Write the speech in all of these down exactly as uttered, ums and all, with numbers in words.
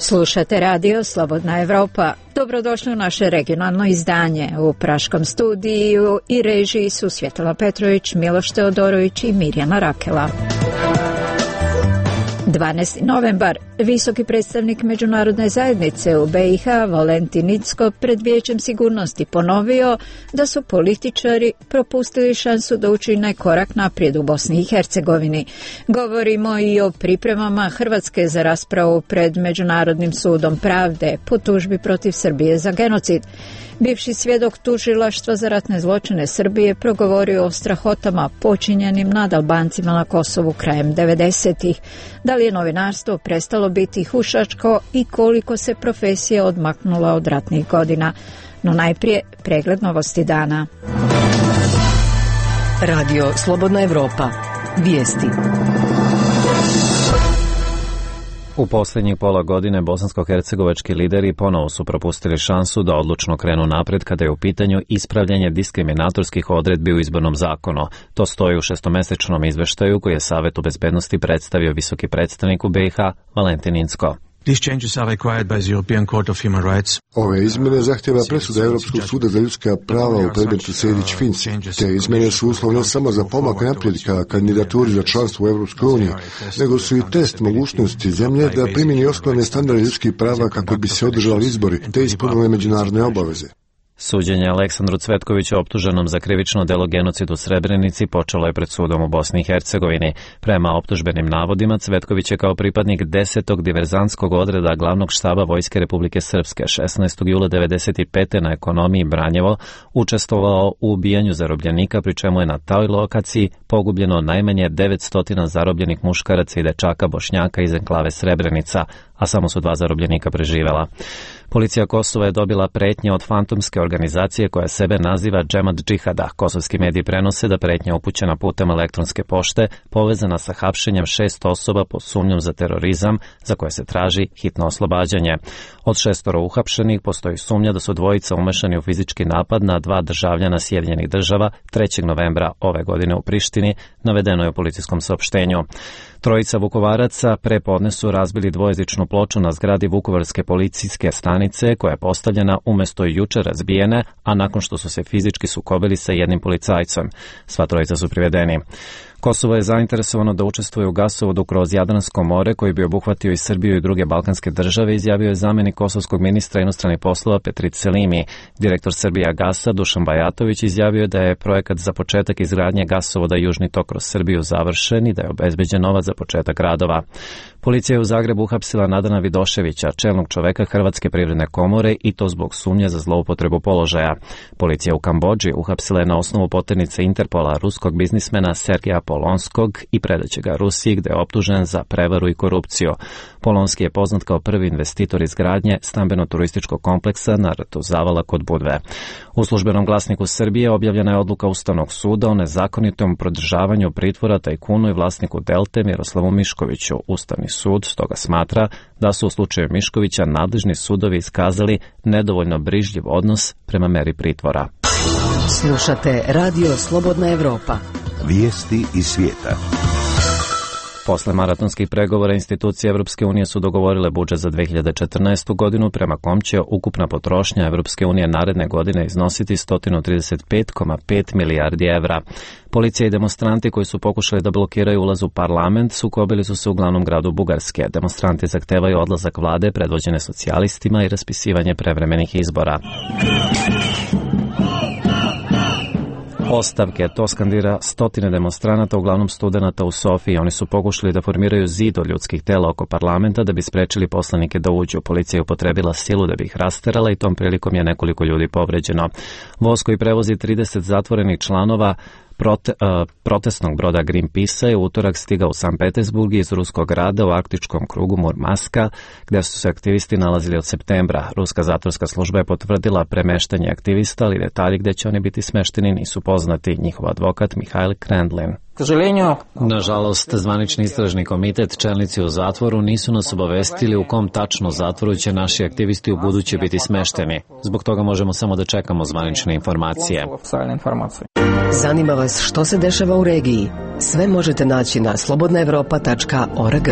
Slušate radio Slobodna Evropa. Dobrodošli u naše regionalno izdanje. U praškom studiju i režiji su Svjetlana Petrović, Miloš Teodorović i Mirjana Rakela. dvanaesti novembar. Visoki predstavnik međunarodne zajednice u be i ha Valentin Incko pred Vijećem sigurnosti ponovio da su političari propustili šansu da učine korak naprijed u Bosni i Hercegovini. Govorimo i o pripremama Hrvatske za raspravu pred Međunarodnim sudom pravde po tužbi protiv Srbije za genocid. Bivši svjedok tužilaštva za ratne zločine Srbije progovorio o strahotama počinjenim nad Albancima na Kosovu krajem devedesetih. Da li je novinarstvo prestalo biti hušačko i koliko se profesija odmaknula od ratnih godina? No najprije pregled novosti dana. Radio Slobodna Evropa. Vijesti. U posljednjih pola godine bosansko-hercegovački lideri ponovo su propustili šansu da odlučno krenu napred kada je u pitanju ispravljanje diskriminatorskih odredbi u izbornom zakonu. To stoji u šestomesečnom izveštaju koji je Savetu bezbednosti predstavio visoki predstavnik u be i ha Valentin Incko. Ove izmjene zahtjeva presuda Europskog suda za ljudska prava u predmetu Sejdić-Finci. Te izmjene su uslov ne samo za pomak naprijed ka kandidaturi za članstvo u Europskoj uniji, nego su i test mogućnosti zemlje da primjeni osnovne standarde ljudskih prava kako bi se održali izbori te ispunile međunarodne obaveze. Suđenje Aleksandru Cvetkoviću optuženom za krivično delo genocid u Srebrenici počelo je pred sudom u Bosni i Hercegovini. Prema optužbenim navodima, Cvetković je kao pripadnik desetog diverzantskog odreda glavnog štaba Vojske Republike Srpske šesnaestog jula devedeset pete na ekonomiji Branjevo učestvovao u ubijanju zarobljenika, pri čemu je na toj lokaciji pogubljeno najmanje devetsto zarobljenih muškaraca i dečaka Bošnjaka iz enklave Srebrenica, a samo su dva zarobljenika preživela. Policija Kosova je dobila pretnje od fantomske organizacije koja sebe naziva Džemat džihada. Kosovski mediji prenose da pretnja upućena putem elektronske pošte povezana sa hapšenjem šest osoba pod sumnjom za terorizam za koje se traži hitno oslobađanje. Od šestoro uhapšenih postoji sumnja da su dvojica umešani u fizički napad na dva državljana Sjedinjenih država trećeg novembra ove godine u Prištini, navedeno je u policijskom saopštenju. Trojica Vukovaraca pre podne su razbili dvojezičnu ploču na zgradi Vukovarske policijske stanice koja je postavljena umjesto juče razbijene, a nakon što su se fizički sukobili sa jednim policajcem. Sva trojica su privedeni. Kosovo je zainteresovano da učestvuje u gasovodu kroz Jadransko more koji bi obuhvatio i Srbiju i druge balkanske države, izjavio je zamjenik kosovskog ministra inostranih poslova Petrit Selimi. Direktor Srbija Gasa Dušan Bajatović izjavio je da je projekat za početak izgradnje gasovoda Južni tok kroz Srbiju završen i da je obezbeđen novac za početak radova. Policija je u Zagrebu uhapsila Nadana Vidoševića, čelnog čoveka Hrvatske privredne komore, i to zbog sumnje za zloupotrebu položaja. Policija u Kambodži uhapsila je na osnovu poternice Interpola ruskog biznismena Sergeja Polonskog i predaće ga Rusiji, gde je optužen za prevaru i korupciju. Polonski je poznat kao prvi investitor izgradnje stambeno-turističkog kompleksa na rtu Zavala kod Budve. U službenom glasniku Srbije objavljena je odluka Ustavnog suda o nezakonitom prodržavanju pritvora tajkunu i vlasniku Delte Miroslavu Miškoviću. Ustavni sud stoga smatra da su u slučaju Miškovića nadležni sudovi iskazali nedovoljno brižljiv odnos prema meri pritvora. Slušate Radio Slobodna Evropa. Vijesti iz svijeta. Posle maratonskih pregovora institucije Evropske unije su dogovorile budžet za dve hiljade četrnaestu godinu, prema kom će ukupna potrošnja Evropske unije naredne godine iznositi sto trideset pet zarez pet milijardi evra. Policija i demonstranti koji su pokušali da blokiraju ulaz u parlament sukobili su se u glavnom gradu Bugarske. Demonstranti zahtevaju odlazak vlade predvođene socijalistima i raspisivanje prevremenih izbora. Ostavke, to skandira stotine demonstranata, uglavnom studenata u Sofiji. Oni su pokušali da formiraju zid od ljudskih tela oko parlamenta da bi sprečili poslanike da uđu. Policija je upotrebila silu da bi ih rasterala i tom prilikom je nekoliko ljudi povređeno. Voz koji prevozi trideset zatvorenih članova Prote, uh, protestnog broda Greenpeace je u utorak stigao u San Petersburg iz ruskog grada u arktičkom krugu Murmanska, gdje su se aktivisti nalazili od septembra. Ruska zatvorska služba je potvrdila premeštanje aktivista, ali detalji gdje će oni biti smešteni nisu poznati. Njihov advokat Mihail Krendlin. Nažalost, zvanični istražni komitet, čelnici u zatvoru nisu nas obavestili u kom tačno zatvoru će naši aktivisti u buduće biti smešteni. Zbog toga možemo samo da čekamo zvanične informacije. Zanima vas što se dešava u regiji? Sve možete naći na slobodna evropa tačka org.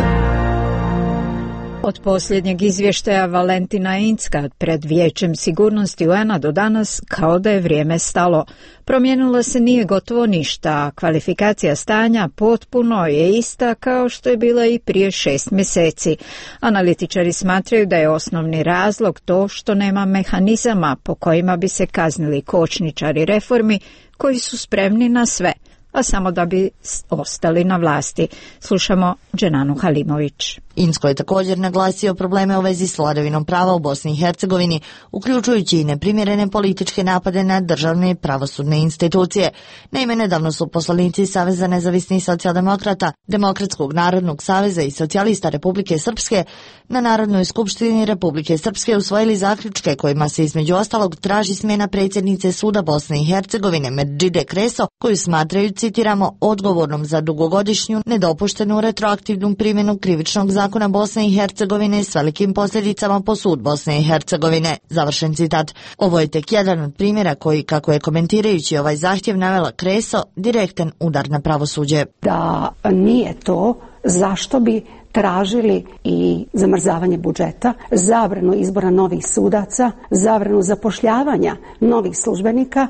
Od posljednjeg izvještaja Valentina Incka pred Vijećem sigurnosti U N-a do danas kao da je vrijeme stalo. Promijenilo se nije gotovo ništa, a kvalifikacija stanja potpuno je ista kao što je bila i prije šest mjeseci. Analitičari smatraju da je osnovni razlog to što nema mehanizama po kojima bi se kaznili kočničari reformi koji su spremni na sve, a samo da bi ostali na vlasti. Slušamo Dženanu Halimović. Incko je također naglasio probleme u vezi s vladavinom prava u Bosni i Hercegovini, uključujući i neprimjerene političke napade na državne i pravosudne institucije. Naime, nedavno su poslanici Saveza nezavisnih socijaldemokrata, Demokratskog narodnog saveza i socijalista Republike Srpske na Narodnoj skupštini Republike Srpske usvojili zaključke kojima se između ostalog traži smjena predsjednice Suda Bosne i Hercegovine Medžide Kreso, koju smatraju, citiramo, odgovornom za dugogodišnju nedopuštenu retroaktivnu primjenu krivičnog zakona Zakona Bosne i Hercegovine s velikim posljedicama po sud Bosne i Hercegovine. Završen citat. Ovo je tek jedan od primjera koji, kako je komentirajući ovaj zahtjev navela Kreso, direktan udar na pravosuđe. Da nije to, zašto bi tražili i zamrzavanje budžeta, zabranu izbora novih sudaca, zabranu zapošljavanja novih službenika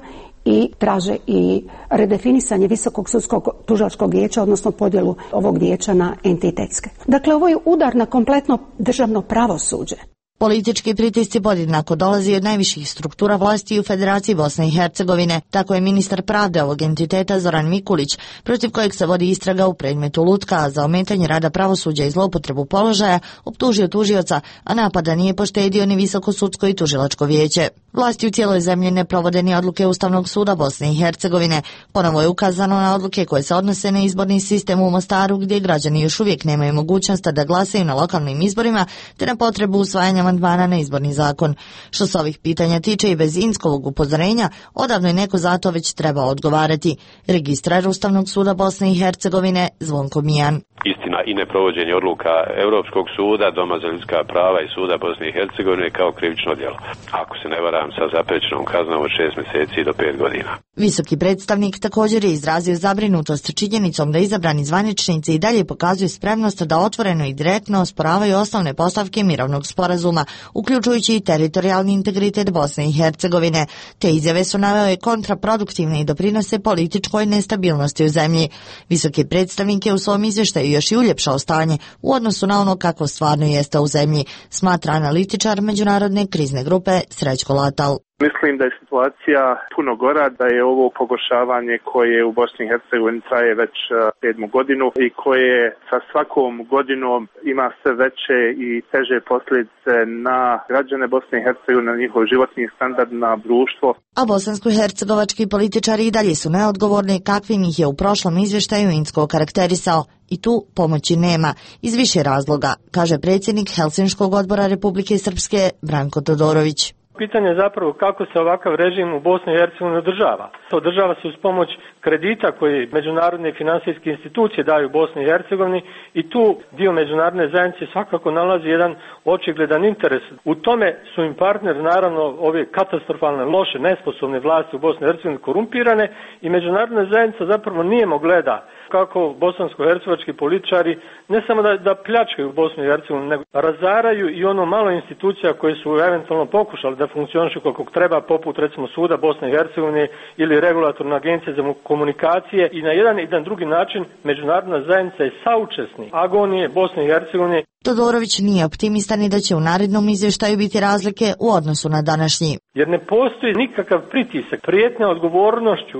i traže i redefinisanje Visokog sudskog tužilačkog vijeća, odnosno podjelu ovog vijeća na entitetske. Dakle, ovo je udar na kompletno državno pravosuđe. Politički pritisci podjednako dolazi od najviših struktura vlasti u Federaciji Bosne i Hercegovine. Tako je ministar pravde ovog entiteta Zoran Mikulić, protiv kojeg se vodi istraga u predmetu Lutka, a za ometanje rada pravosuđa i zloupotrebu položaja optužio tužioca, a napada nije poštedio ni Visoko sudsko i tužilačko vijeće. Vlasti u cijeloj zemlji ne provode ni odluke Ustavnog suda Bosne i Hercegovine. Ponovo je ukazano na odluke koje se odnose na izborni sistem u Mostaru, gdje građani još uvijek nemaju mogućnost da glasaju na lokalnim izborima, te na potrebu usvajanja amandmana na izborni zakon. Što se ovih pitanja tiče i bez Inckovog upozorenja, odavno je neko zato već trebao odgovarati. Registrar Ustavnog suda Bosne i Hercegovine Zvonko Mijan. Istina i neprovođenje odluka Europskog suda, Doma za ljudska prava i suda Bosne i Hercegovine kao krivično djelo. Ako se ne varam, sa zaprećenom kaznom od šest mjeseci do pet godina. Visoki predstavnik također je izrazio zabrinutost činjenicom da izabrani zvaničnici i dalje pokazuju spremnost da otvoreno i direktno osporavaju osnovne postavke mirovnog sporazuma, uključujući i teritorijalni integritet Bosne i Hercegovine. Te izjave su navele kontraproduktivne i doprinose političkoj nestabilnosti u zemlji. Visoki predstavnik je u svom izvještaju još i uljepšao stanje u odnosu na ono kako stvarno jeste u zemlji, smatra analitičar međunarodne krizne grupe Srećko Latal. Mislim da je situacija puno gora, da je ovo pogoršavanje koje u Bosni i Hercegovini traje već sedmu godinu i koje sa svakom godinom ima sve veće i teže posljedice na građane Bosne i Hercegovine, na njihov životni standard, na društvo. A bosansko-hercegovački političari i dalje su neodgovorni, kakvim ih je u prošlom izvještaju Incko karakterisao. I tu pomoći nema, iz više razloga, kaže predsjednik Helsinškog odbora Republike Srpske Branko Todorović. Pitanje je zapravo kako se ovakav režim u Bosni i Hercegovini održava. Održava se uz pomoć kredita koje međunarodne finansijske institucije daju Bosni i Hercegovini i tu dio međunarodne zajednice svakako nalazi jedan očigledan interes. U tome su im partneri, naravno, ove katastrofalne, loše, nesposobne vlasti u Bosni i Hercegovini korumpirane i međunarodna zajednica zapravo nijemo gleda kako bosansko-hercegovački političari ne samo da, da pljačkaju Bosnu i Hercegovinu, nego razaraju i ono malo institucija koje su eventualno pokušali da funkcionišu kako treba, poput recimo suda Bosne i Hercegovine ili regulatorna agencija za komunikacije, i na jedan i na drugi način međunarodna zajednica je saučesnik agonije Bosne i Hercegovine. Todorović nije optimistan i da će u narednom izvještaju biti razlike u odnosu na današnji. Jer ne postoji nikakav pritisak, prijetnja odgovornošću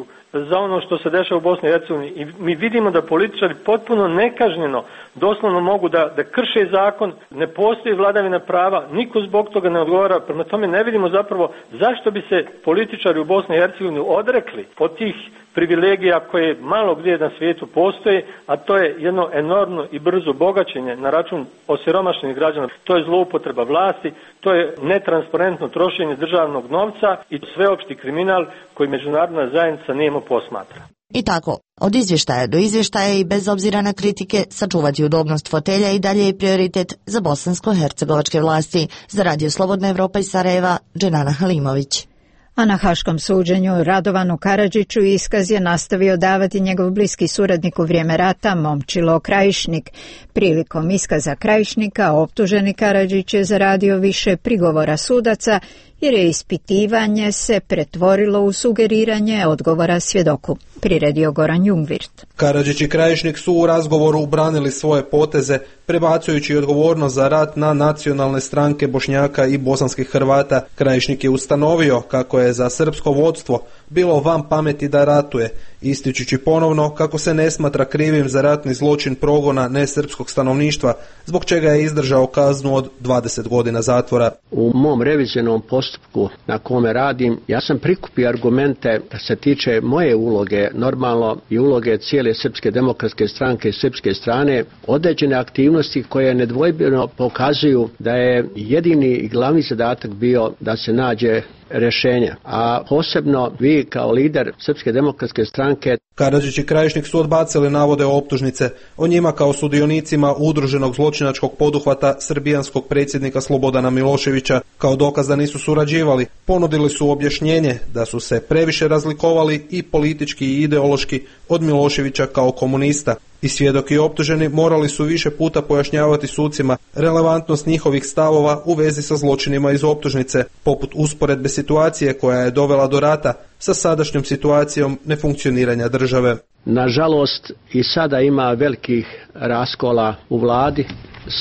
za ono što se dešava u Bosni i Hercegovini. I mi vidimo da političari potpuno nekažnjeno doslovno mogu da, da krše zakon, ne postoji vladavina prava, niko zbog toga ne odgovara, prema tome ne vidimo zapravo zašto bi se političari u Bosni i Hercegovini odrekli od tih privilegija koje malo gdje na svijetu postoje, a to je jedno enormno i brzo bogaćenje na račun osiromašenih građana. To je zloupotreba vlasti, to je netransparentno trošenje državnog novca i sveopšti kriminal koji međunarodna zajednica nijemo posmatra. I tako, od izvještaja do izvještaja i bez obzira na kritike, sačuvati udobnost fotelja i dalje je prioritet za bosansko-hercegovačke vlasti. Za Radio Slobodna Evropa iz Sarajeva, Dženana Halimović. A na haškom suđenju Radovanu Karadžiću iskaz je nastavio davati njegov bliski suradnik u vrijeme rata Momčilo Krajišnik. Prilikom iskaza Krajišnika optuženi Karadžić je zaradio više prigovora sudaca jer je ispitivanje se pretvorilo u sugeriranje odgovora svjedoku, priredio Goran Jungvirt. Karadžić i Krajišnik su u razgovoru ubranili svoje poteze, prebacujući odgovornost za rat na nacionalne stranke Bošnjaka i bosanskih Hrvata. Krajišnik je ustanovio kako je za srpsko vodstvo bilo van pameti da ratuje, ističući ponovno kako se ne smatra krivim za ratni zločin progona nesrpskog stanovništva, zbog čega je izdržao kaznu od dvadeset godina zatvora. U mom revizionom postupku na kome radim, ja sam prikupio argumente da se tiče moje uloge, normalno i uloge cijele Srpske demokratske stranke i srpske strane, određene aktivnosti koje nedvojbeno pokazuju da je jedini i glavni zadatak bio da se nađe rješenja, a posebno vi kao lider Srpske demokratske stranke. Karadžić i Krajišnik su odbacili navode o optužnice. O njima kao sudionicima udruženog zločinačkog poduhvata srbijanskog predsjednika Slobodana Miloševića kao dokaz da nisu surađivali. Ponudili su objašnjenje da su se previše razlikovali i politički i ideološki od Miloševića kao komunista. I svjedok i optuženi morali su više puta pojašnjavati sucima relevantnost njihovih stavova u vezi sa zločinima iz optužnice, poput usporedbe situacije koja je dovela do rata sa sadašnjom situacijom nefunkcioniranja države. Nažalost, i sada ima velikih raskola u vladi.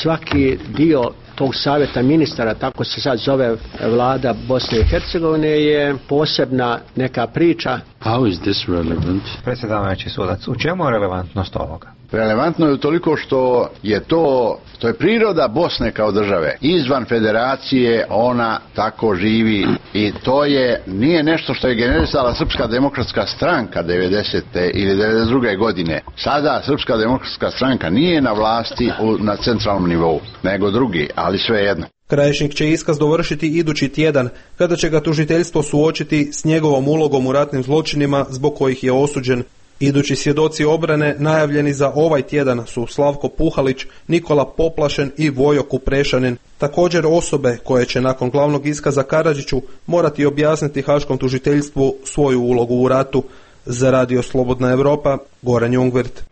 Svaki dio tog savjeta ministara, tako se sad zove vlada Bosne i Hercegovine, je posebna neka priča. How is this relevant? Predsjedavajući sudac, u čemu je relevantnost ovoga? Relevantno je utoliko što je to, to je priroda Bosne kao države. Izvan federacije ona tako živi i to je, nije nešto što je generisala Srpska demokratska stranka devedesete ili devedeset druge godine. Sada Srpska demokratska stranka nije na vlasti u, na centralnom nivou, nego drugi, ali svejedno. Krajišnik će iskaz dovršiti idući tjedan, kada će ga tužiteljstvo suočiti s njegovom ulogom u ratnim zločinima zbog kojih je osuđen. Idući svjedoci obrane najavljeni za ovaj tjedan su Slavko Puhalić, Nikola Poplašen i Vojo Kuprešanin. Također osobe koje će nakon glavnog iskaza Karadžiću morati objasniti haškom tužiteljstvu svoju ulogu u ratu. Za Radio Slobodna Europa, Goran Jungvirt.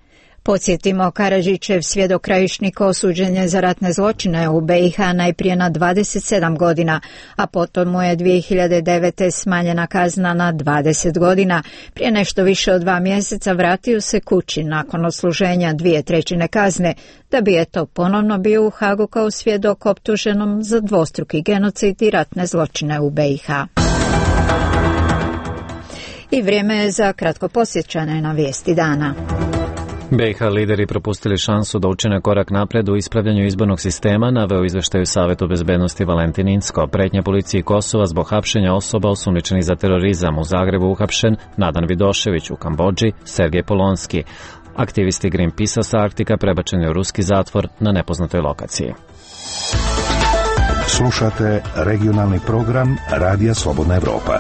Podsjetimo, Karadžićev svjedok Krajišnik osuđen je za ratne zločine u B i H najprije na dvadeset sedam godina, a potom mu je dvije hiljade devete. smanjena kazna na dvadeset godina. Prije nešto više od dva mjeseca vratio se kući nakon odsluženja dvije trećine kazne, da bi eto ponovno bio u Hagu kao svjedok optuženom za dvostruki genocid i ratne zločine u B i H. I vrijeme je za kratko posjećanje na vijesti dana. B i H lideri propustili šansu da učine korak napred u ispravljanju izbornog sistema, naveo izveštaju Savetu bezbednosti Valentin Incko. Pretnja policiji Kosova zbog hapšenja osoba osumnjičenih za terorizam. U Zagrebu uhapšen Nadan Vidošević, u Kambodži Sergej Polonski. Aktivisti Greenpeace-a sa Arktika prebačeni u ruski zatvor na nepoznatoj lokaciji. Slušate regionalni program Radija Slobodna Evropa.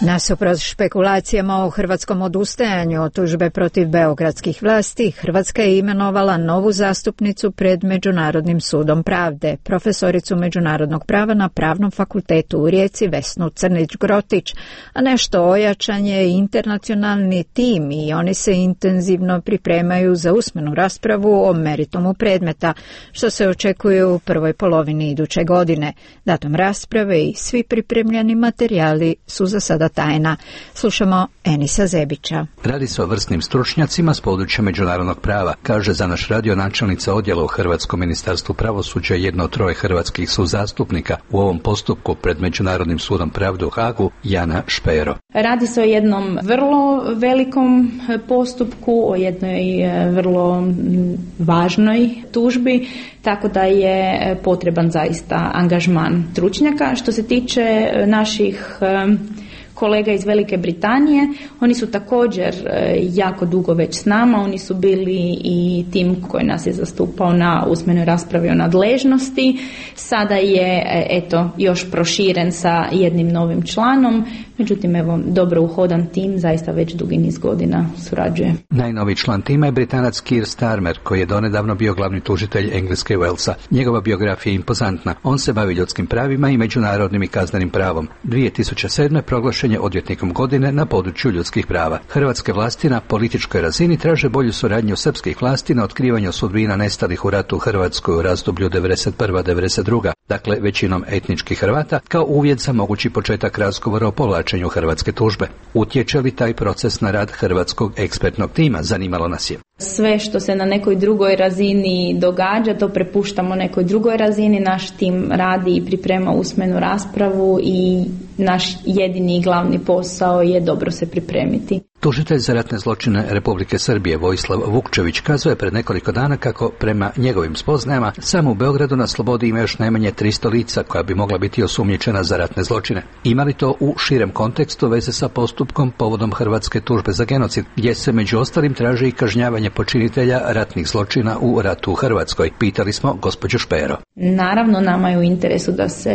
Nasuprot špekulacijama o hrvatskom odustajanju od tužbe protiv beogradskih vlasti, Hrvatska je imenovala novu zastupnicu pred Međunarodnim sudom pravde, profesoricu međunarodnog prava na Pravnom fakultetu u Rijeci Vesnu Crnić-Grotić, a nešto ojačan je internacionalni tim i oni se intenzivno pripremaju za usmenu raspravu o meritumu predmeta, što se očekuje u prvoj polovini iduće godine. Datum rasprave i svi pripremljeni materijali su za sada tajna. Slušamo Enisa Zebića. Radi se o vrsnim stručnjacima s područja međunarodnog prava, kaže za naš radio načelnica odjela u Hrvatskom ministarstvu pravosuđa, jedno od troje hrvatskih suzastupnika u ovom postupku pred Međunarodnim sudom pravde u Hagu, Jana Špero. Radi se o jednom vrlo velikom postupku, o jednoj vrlo važnoj tužbi, tako da je potreban zaista angažman stručnjaka. Što se tiče naših kolega iz Velike Britanije. Oni su također jako dugo već s nama, oni su bili i tim koji nas je zastupao na usmenoj raspravi o nadležnosti. Sada je eto još proširen sa jednim novim članom, međutim evo dobro uhodan tim, zaista već dugi niz godina surađuje. Najnoviji član tima je Britanac Keir Starmer, koji je donedavno bio glavni tužitelj Engleske i Walesa. Njegova biografija je impozantna. On se bavi ljudskim pravima i međunarodnim i kaznenim pravom. dvije tisuće sedme proglašen je odvjetnikom godine na području ljudskih prava. Hrvatske vlasti na političkoj razini traže bolju suradnju srpskih vlasti na otkrivanju sudbina nestalih u ratu u Hrvatskoj u razdoblju devedeset prva do devedeset druga dakle većinom etničkih Hrvata, kao uvjet za mogući početak razgovora o povlačenju hrvatske tužbe. Utječe li taj proces na rad hrvatskog ekspertnog tima, zanimalo nas je. Sve što se na nekoj drugoj razini događa, to prepuštamo nekoj drugoj razini. Naš tim radi i priprema usmenu raspravu i naš jedini i glavni posao je dobro se pripremiti. Tužitelj za ratne zločine Republike Srbije Vojislav Vukčević kazuje pred nekoliko dana kako prema njegovim spoznajama samo u Beogradu na slobodi ima još najmanje tristo lica koja bi mogla biti osumnjičena za ratne zločine. Ima li to u širem kontekstu veze sa postupkom povodom hrvatske tužbe za genocid, gdje se među ostalim traži i kažnjavanje počinitelja ratnih zločina u ratu u Hrvatskoj? Pitali smo gospođu Špero. Naravno, nama je u interesu da se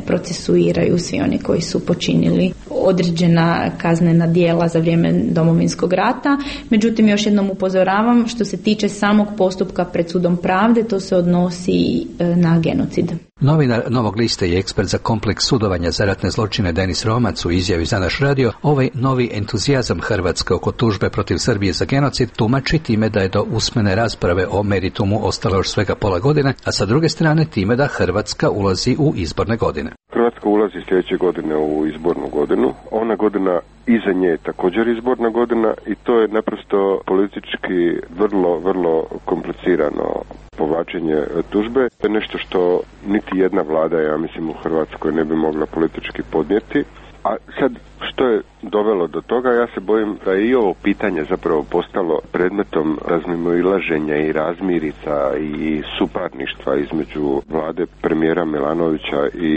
procesuiraju svi oni koji su počinili određena kaznena djela za vrijeme Domovinskog rata. Međutim, još jednom upozoravam, što se tiče samog postupka pred sudom pravde, to se odnosi na genocid. Novinar Novog lista i ekspert za kompleks sudovanja za ratne zločine Denis Romac u izjavi za naš radio ovaj novi entuzijazam Hrvatske oko tužbe protiv Srbije za genocid tumači time da je do usmene rasprave o meritumu ostalo još svega pola godine, a sa druge strane time da Hrvatska ulazi u izborne godine. Hrvatska ulazi sljedeće godine u izbornu godinu. Ona godina iza nje je također izborna godina i to je naprosto politički vrlo, vrlo komplicirano povlačenje tužbe. To je nešto što niti jedna vlada, ja mislim, u Hrvatskoj ne bi mogla politički podnijeti. A sad, što je dovelo do toga, ja se bojim da je i ovo pitanje zapravo postalo predmetom razmimoilaženja i razmirica i suparništva između vlade premijera Milanovića i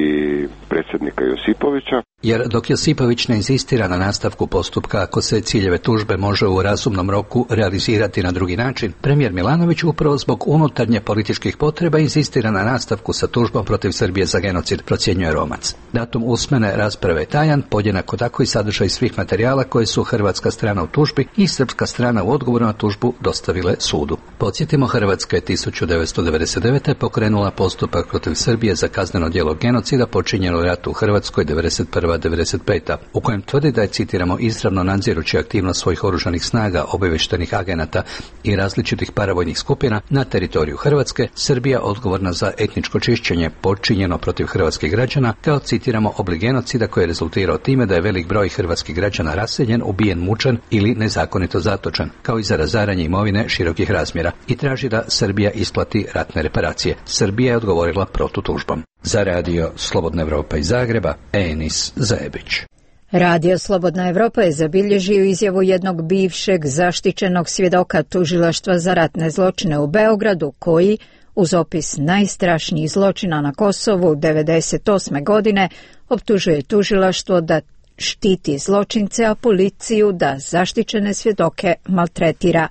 predsjednika Josipovića. Jer dok Josipović ne inzistira na nastavku postupka ako se ciljeve tužbe može u razumnom roku realizirati na drugi način, premijer Milanović upravo zbog unutarnje političkih potreba inzistira na nastavku sa tužbom protiv Srbije za genocid, procjenjuje Romac. Datum usmene rasprave je tajan, podjednako tako i sadržaj svih materijala koje su hrvatska strana u tužbi i srpska strana u odgovoru na tužbu dostavile sudu. Podsjetimo, Hrvatska je tisuću devetsto devedeset devete. pokrenula postupak protiv Srbije za kazneno djelo genocida počinjeno u ratu u Hrvatskoj devedeset prva do devedeset peta. u kojem tvrdi da je, citiramo, izravno nadzirući aktivnost svojih oružanih snaga, obavještajnih agenata i različitih paravojnih skupina na teritoriju Hrvatske, Srbija odgovorna za etničko čišćenje počinjeno protiv hrvatskih građana, kao, citiramo, oblik genocida koji je rezultirao time da je velik broj hrvatskih građana raseljen, ubijen, mučen ili nezakonito zatočen, kao i za razaranje imovine širokih razmjera, i traži da Srbija isplati ratne reparacije. Srbija je odgovorila protutužbom. Za radio Slobodna Evropa iz Zagreba, Enis Zajebić. Radio Slobodna Evropa je zabilježio izjavu jednog bivšeg zaštićenog svjedoka tužilaštva za ratne zločine u Beogradu, koji, uz opis najstrašnijih zločina na Kosovu devedeset osme. godine, optužuje tužilaštvo da štiti zločince, a policiju da zaštićene svjedoke maltretira.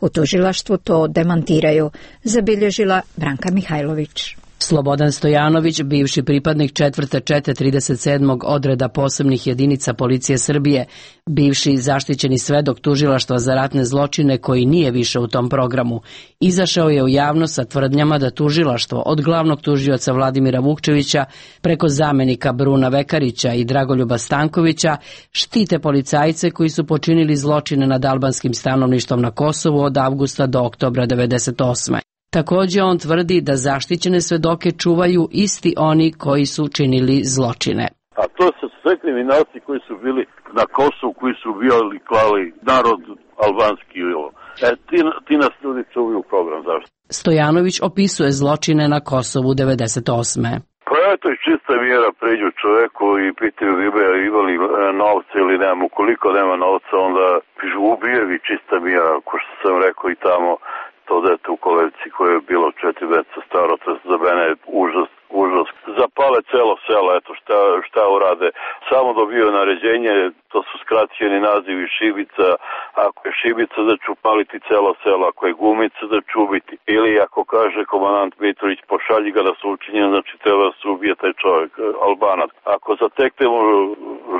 U tužilaštvu to demantiraju, zabilježila Branka Mihajlović. Slobodan Stojanović, bivši pripadnik četvrte čete trideset sedmog odreda posebnih jedinica policije Srbije, bivši zaštićeni svedok tužilaštva za ratne zločine koji nije više u tom programu, izašao je u javnost sa tvrdnjama da tužilaštvo od glavnog tužioca Vladimira Vukčevića preko zamenika Bruna Vekarića i Dragoljuba Stankovića štite policajce koji su počinili zločine nad albanskim stanovništvom na Kosovu od avgusta do oktobra devedeset osme. Također on tvrdi da zaštićene svedoke čuvaju isti oni koji su činili zločine. A to su sve kriminalci koji su bili na Kosovu, koji su ubijali, klali narod albanski. E, ti, ti nas ljudi čuvaju program, zašto? Stojanović opisuje zločine na Kosovu devedeset osme. Pa je to je čista mjera, pređu čovjeku i pitaju imali novce ili nema. Ukoliko nema novca, onda pišu ubijevi, čista mjera, ko što sam rekao i tamo. To dete u Kolevici koje je bilo četiri meseca staro, to za mene je užas, užas. Zapale celo selo, eto šta, šta urade. Samo dobio naređenje, to su skraćeni nazivi šibica. Ako je šibica da ću paliti celo selo, ako je gumica da ću ubiti. Ili ako kaže komandant Mitrović pošalji ga da su učinjeni, znači treba da se ubije taj čovjek, Albanac. Ako zateknemo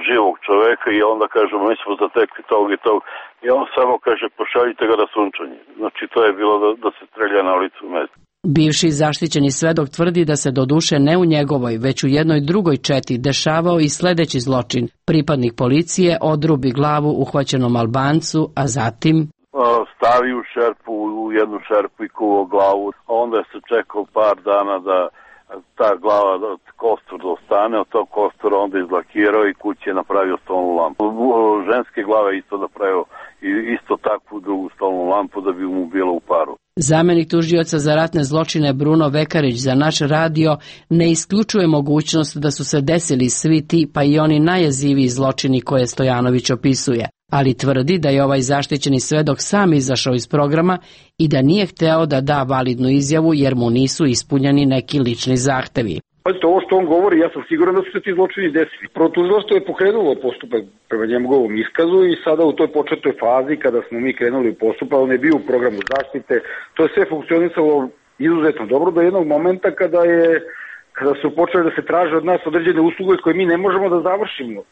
živog čovjeka i onda kažemo mi smo zatekli tog i tog, i on samo kaže pošaljite ga da sunčanje. Znači to je bilo da, da se strelja na licu mesta. Bivši zaštićeni svedok tvrdi da se doduše ne u njegovoj, već u jednoj drugoj četi dešavao i sledeći zločin. Pripadnik policije odrubi glavu uhvaćenom Albancu, a zatim stavi u šerpu, u jednu šerpu i kuvao glavu. Onda se čekao par dana da ta glava, da kostur da ostane, od tog kostura onda izlakirao i kući je napravio stolnu lampu. Ženske glave isto napravio i isto takvu drugu stolnu lampu da bi mu bilo u paru. Zamenik tužioca za ratne zločine Bruno Vekarić za naš radio ne isključuje mogućnost da su se desili svi ti pa i oni najjeziviji zločini koje Stojanović opisuje, ali tvrdi da je ovaj zaštićeni svedok sam izašao iz programa i da nije hteo da da validnu izjavu jer mu nisu ispunjeni neki lični zahtevi. Pazite, ovo što on govori, ja sam siguran da su se ti zločini desili. Prvo tužilaštvo je pokrenulo postupak prema njegovom iskazu i sada u toj početnoj fazi kada smo mi krenuli u postupak, on je bio u programu zaštite, to je sve funkcionisalo izuzetno dobro do jednog momenta kada je kada su počeli da se traže od nas određene usluge koje mi ne možemo da završimo uh,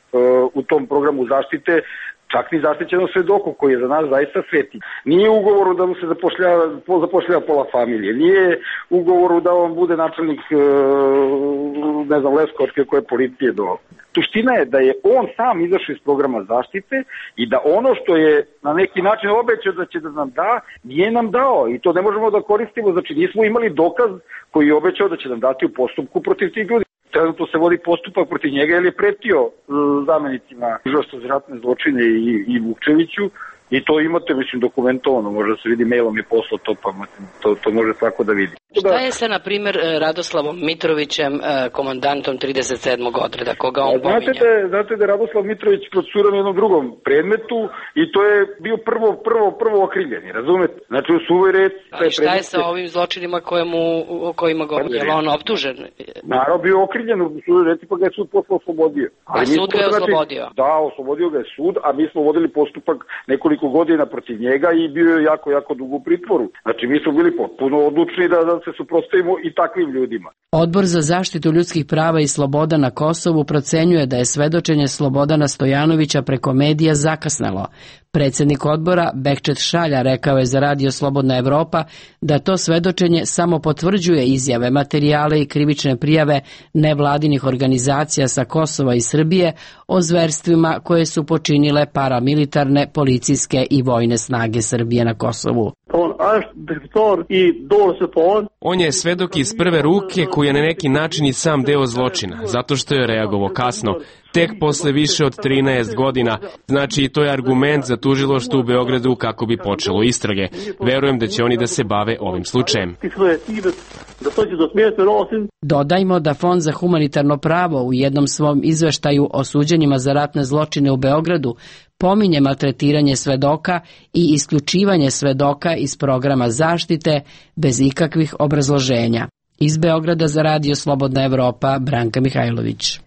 u tom programu zaštite, čak ni zaštićenom svedoku koji je za nas zaista sveti. Nije u ugovoru da mu se zapošljava, zapošljava pola familije, nije u ugovoru da on bude načelnik uh, ne znam, Leskovačke koje policije do. Suština je da je on sam izašao iz programa zaštite i da ono što je na neki način obećao da će da nam da, nije nam dao i to ne možemo da koristimo, znači nismo imali dokaz koji je obećao da će nam dati u postupku protiv tih ljudi. Trenutno se vodi postupak protiv njega jer je pretio uh, zamenicima tužilaštva za ratne zločine i, i Vukčeviću i to imate, mislim, dokumentovano, može da se vidi, mailom je poslao to, pa to, to može svako da vidi. Šta je sa, na primjer, Radoslavom Mitrovićem, komandantom trideset sedmog odreda, koga on znate pominje? Da, znate da je Radoslav Mitrović procesuiran u jednom drugom predmetu i to je bio prvo, prvo, prvo okriljeni, razumete? Znači u suvoj reci... Ali šta je sa ovim zločinima kojemu, o kojima govorim? Je li on optužen? Naravno, bio okriljen u suvoj reci, pa ga je sud posle oslobodio. A sud ga je oslobodio? Da, oslobodio ga je sud, a mi smo vodili postupak nekoliko godina protiv njega i bio je jako, jako dugo u pritvoru. Znači mi smo bili potpuno odlučni da, da se suprotstavimo i takvim ljudima. Odbor za zaštitu ljudskih prava i sloboda na Kosovu procenjuje da je svedočenje Slobodana Stojanovića preko medija zakasnelo. Predsjednik odbora Bekčet Šalja rekao je za radio Slobodna Evropa da to svedočenje samo potvrđuje izjave, materijale i krivične prijave nevladinih organizacija sa Kosova i Srbije o zverstvima koje su počinile paramilitarne, policijske i vojne snage Srbije na Kosovu. On je svedok iz prve ruke koji je na neki način i sam deo zločina, zato što je reagovao kasno, tek posle više od trinaest godina. Znači i to je argument za tužilaštvo u Beogradu kako bi počelo istrage. Verujem da će oni da se bave ovim slučajem. Dodajmo da Fond za humanitarno pravo u jednom svom izveštaju o suđenjima za ratne zločine u Beogradu pominje maltretiranje svedoka i isključivanje svedoka iz programa zaštite bez ikakvih obrazloženja. Iz Beograda za radio Slobodna Evropa, Branka Mihajlović.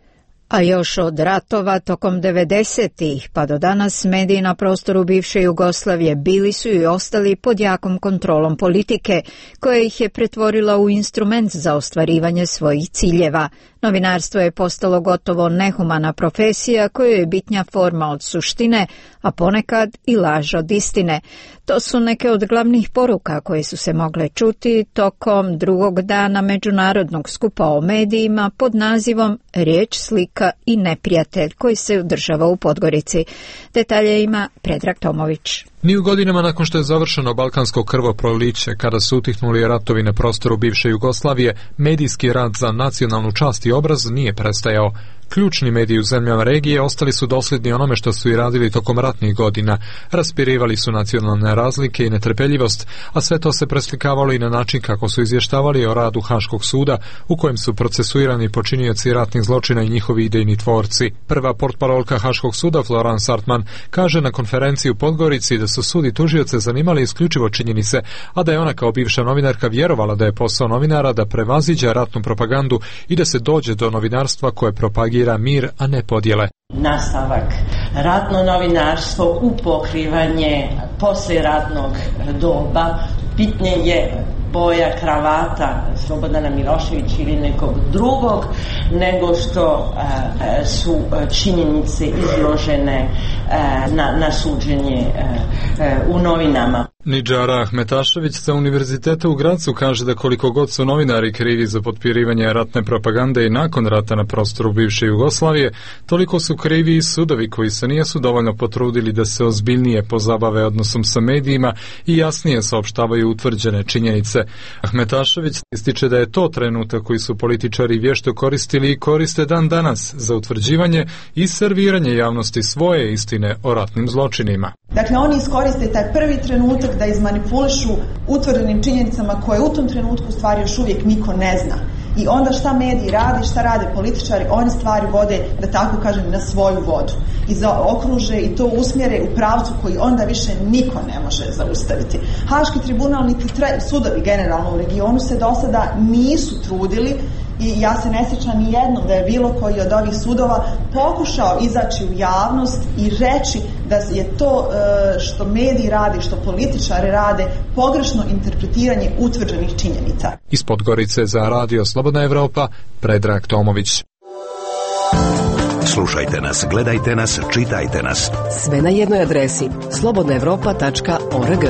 A još od ratova tokom devedesetih pa do danas mediji na prostoru bivše Jugoslavije bili su i ostali pod jakom kontrolom politike, koja ih je pretvorila u instrument za ostvarivanje svojih ciljeva. Novinarstvo je postalo gotovo nehumana profesija kojoj je bitnja forma od suštine, a ponekad i laž od istine. To su neke od glavnih poruka koje su se mogle čuti tokom drugog dana međunarodnog skupa o medijima pod nazivom Riječ, slika i neprijatelj, koji se održava u Podgorici. Detalje ima Predrag Tomović. Ni u godinama nakon što je završeno balkansko krvoproliće, kada su utihnuli ratovi na prostoru bivše Jugoslavije, medijski rad za nacionalnu čast i obraz nije prestajao. Ključni mediji u zemljama regije ostali su dosljedni onome što su i radili tokom ratnih godina. Raspirivali su nacionalne razlike i netrpeljivost, a sve to se preslikavalo i na način kako su izvještavali o radu Haškog suda, u kojem su procesuirani počinioci ratnih zločina i njihovi idejni tvorci. Prva portparolka Haškog suda, Florence Sartman, kaže na konferenciji u Podgorici da su sud i tužioce zanimali isključivo činjenice, a da je ona kao bivša novinarka vjerovala da je posao novinara da prevaziđa ratnu propagandu i da se dođe do novinarstva koje propagira mir, a ne podjele. Nastavak ratno novinarstvo u pokrivanje poslijeratnog doba, bitnije je boja kravata Slobodana Miloševića ili nekog drugog nego što e, su činjenice izložene e, na, na suđenje e, e, u novinama. Nidžara Ahmetašević sa Univerziteta u Gracu kaže da koliko god su novinari krivi za potpirivanje ratne propagande i nakon rata na prostoru bivše Jugoslavije, toliko su krivi i sudovi koji se nisu dovoljno potrudili da se ozbiljnije pozabave odnosom sa medijima i jasnije saopštavaju utvrđene činjenice. Ahmetašević ističe da je to trenutak koji su političari vješto koristili i koriste dan danas za utvrđivanje i serviranje javnosti svoje istine o ratnim zločinima. Dakle, oni iskoriste taj prvi trenutak da izmanipulišu utvrđenim činjenicama koje u tom trenutku u stvari još uvijek niko ne zna. I onda šta mediji rade, šta rade političari, oni stvari vode, da tako kažem, na svoju vodu. I zaokruže i to usmjere u pravcu koji onda više niko ne može zaustaviti. Haški tribunal niti sudovi generalno u regionu se do sada nisu trudili i ja se ne sjećam ni jednom da je bilo koji od ovih sudova pokušao izaći u javnost i reći da je to što mediji rade, što političari rade, pogrešno interpretiranje utvrđenih činjenica. Iz Podgorice za Radio Slobodna Evropa, Predrag Tomović. Slušajte nas, gledajte nas, čitajte nas. Sve na jednoj adresi slobodna evropa tačka org.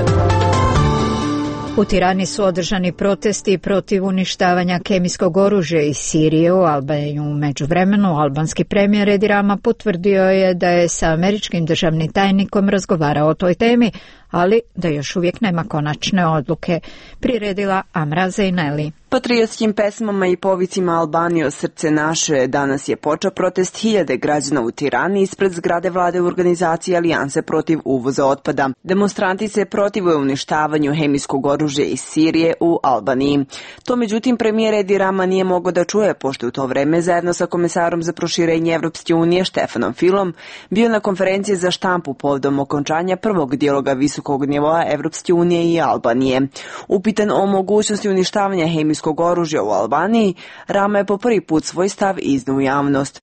U Tirani su održani protesti protiv uništavanja kemijskog oružja iz Sirije u Albaniji. U međuvremenu albanski premijer Edi Rama potvrdio je da je sa američkim državnim tajnikom razgovarao o toj temi, ali da još uvijek nema konačne odluke. Priredila Amra Zejneli. Patriotskim pesmama i povicima Albanije srce naše danas je počeo protest hiljade građana u Tirani ispred zgrade vlade u organizaciji Alijanse protiv uvoza otpada. Demonstranti se protive uništavanju hemijskog oružja iz Sirije u Albaniji. To međutim premijer Edi Rama nije mogao da čuje, pošto u to vreme zajedno sa komesarom za proširenje Evropske unije Štefanom Filom bio na konferenciji za štampu povodom okončanja prvog dijaloga visokog nivoa Evropske unije i Albanije. Upitan o mogućnosti uništavanja hemijskog oružja u Albaniji, Rama je po prvi put svoj stav iznio u javnost.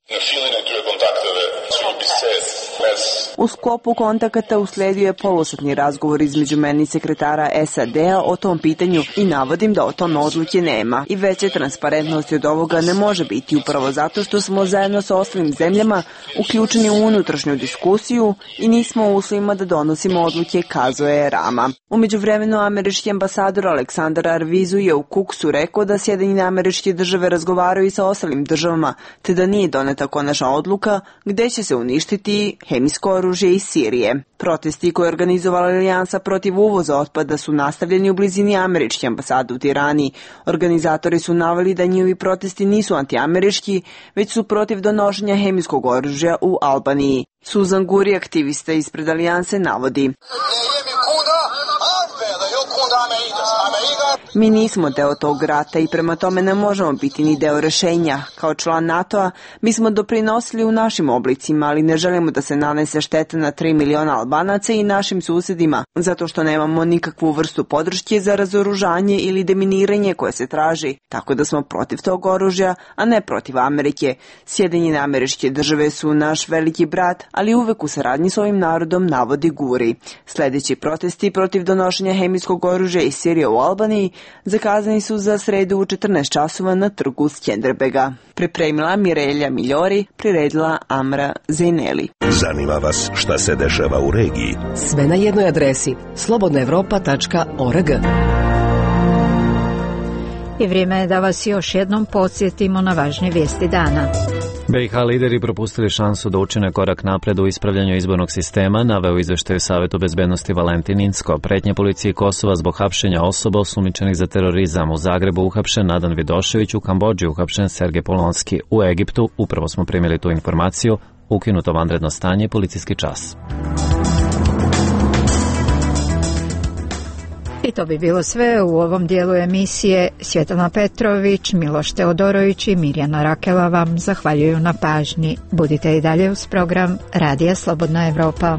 U sklopu kontakata usledio je polosatni razgovor između meni i sekretara S A D-a o tom pitanju i navodim da o tome odluke nema. I veće transparentnosti od ovoga ne može biti upravo zato što smo zajedno sa ostalim zemljama uključeni u unutrašnju diskusiju i nismo u uslovima da donosimo odluke, kazao je Rama. U međuvremenu američki ambasador Aleksandar Arvizu je u Kuksu rekao da Sjedinjene Američke Države razgovaraju i sa ostalim državama, te da nije doneta konačna odluka gde će se uništiti hemijsko oružje iz Sirije. Protesti koje je organizovala Alijansa protiv uvoza otpada su nastavljeni u blizini američke ambasade u Tirani. Organizatori su naveli da njihovi protesti nisu antiamerički, već su protiv donošenja hemijskog oružja u Albaniji. Suzan Guri, aktivista ispred Alijanse, navodi: Mi nismo deo tog rata i prema tome ne možemo biti ni deo rešenja. Kao član NATO-a mi smo doprinosili u našim oblicima, ali ne želimo da se nanese šteta na tri miliona Albanaca i našim susjedima, zato što nemamo nikakvu vrstu podrške za razoružanje ili deminiranje koje se traži. Tako da smo protiv tog oružja, a ne protiv Amerike. Sjedinjene Američke Države su naš veliki brat, ali uvek u saradnji s ovim narodom, navodi Guri. Sljedeći protesti protiv donošenja hemijskog oružja iz Sirije u Albaniji zakazani su za sredu u četrnaest časova na trgu Skenderbega. Pripremila Mirelja Miljori, priredila Amra Zejneli. Zanima vas šta se dešava u regiji? Sve na jednoj adresi slobodna evropa tačka org. I vrijeme je da vas još jednom podsjetimo na važne vijesti dana. B i H lideri propustili šansu da učine korak napred u ispravljanju izbornog sistema, naveo u izveštaju Savetu bezbednosti Valentin Incko. Pretnje policiji Kosova zbog hapšenja osoba osumnjičenih za terorizam. U Zagrebu uhapšen Nadan Vidošević, u Kambodži uhapšen Sergej Polonski. U Egiptu, upravo smo primili tu informaciju, ukinuto vanredno stanje, policijski čas. I to bi bilo sve u ovom dijelu emisije. Svjetlana Petrović, Miloš Teodorović i Mirjana Rakela vam zahvaljuju na pažnji. Budite i dalje uz program Radija Slobodna Evropa.